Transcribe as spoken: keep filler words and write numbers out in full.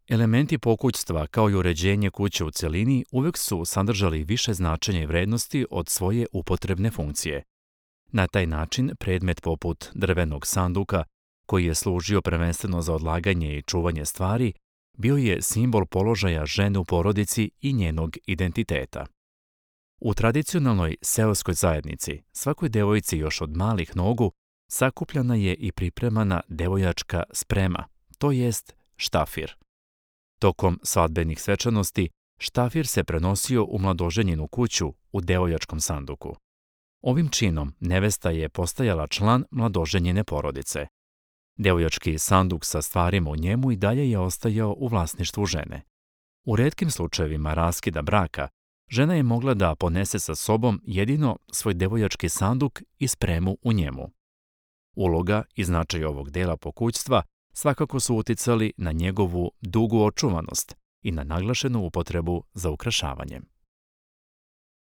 Elementi pokućstva, kao i uređenje kuće u cjelini, uvijek su sadržali više značenja i vrednosti od svoje upotrebne funkcije. Na taj način, predmet poput drvenog sanduka, koji je služio prvenstveno za odlaganje i čuvanje stvari, bio je simbol položaja žene u porodici i njenog identiteta. U tradicionalnoj seoskoj zajednici, svakoj devojci još od malih nogu sakupljana je i pripremana devojačka sprema, to jest štafir. Tokom svadbenih svečanosti, štafir se prenosio u mladoženjinu kuću u devojačkom sanduku. Ovim činom nevesta je postajala član mladoženjine porodice. Devojački sanduk sa stvarima u njemu i dalje je ostajao u vlasništvu žene. U retkim slučajevima raskida braka, žena je mogla da ponese sa sobom jedino svoj devojački sanduk i spremu u njemu. Uloga i značaj ovog dela pokućstva svakako su uticali na njegovu dugu očuvanost i na naglašenu upotrebu za ukrašavanjem.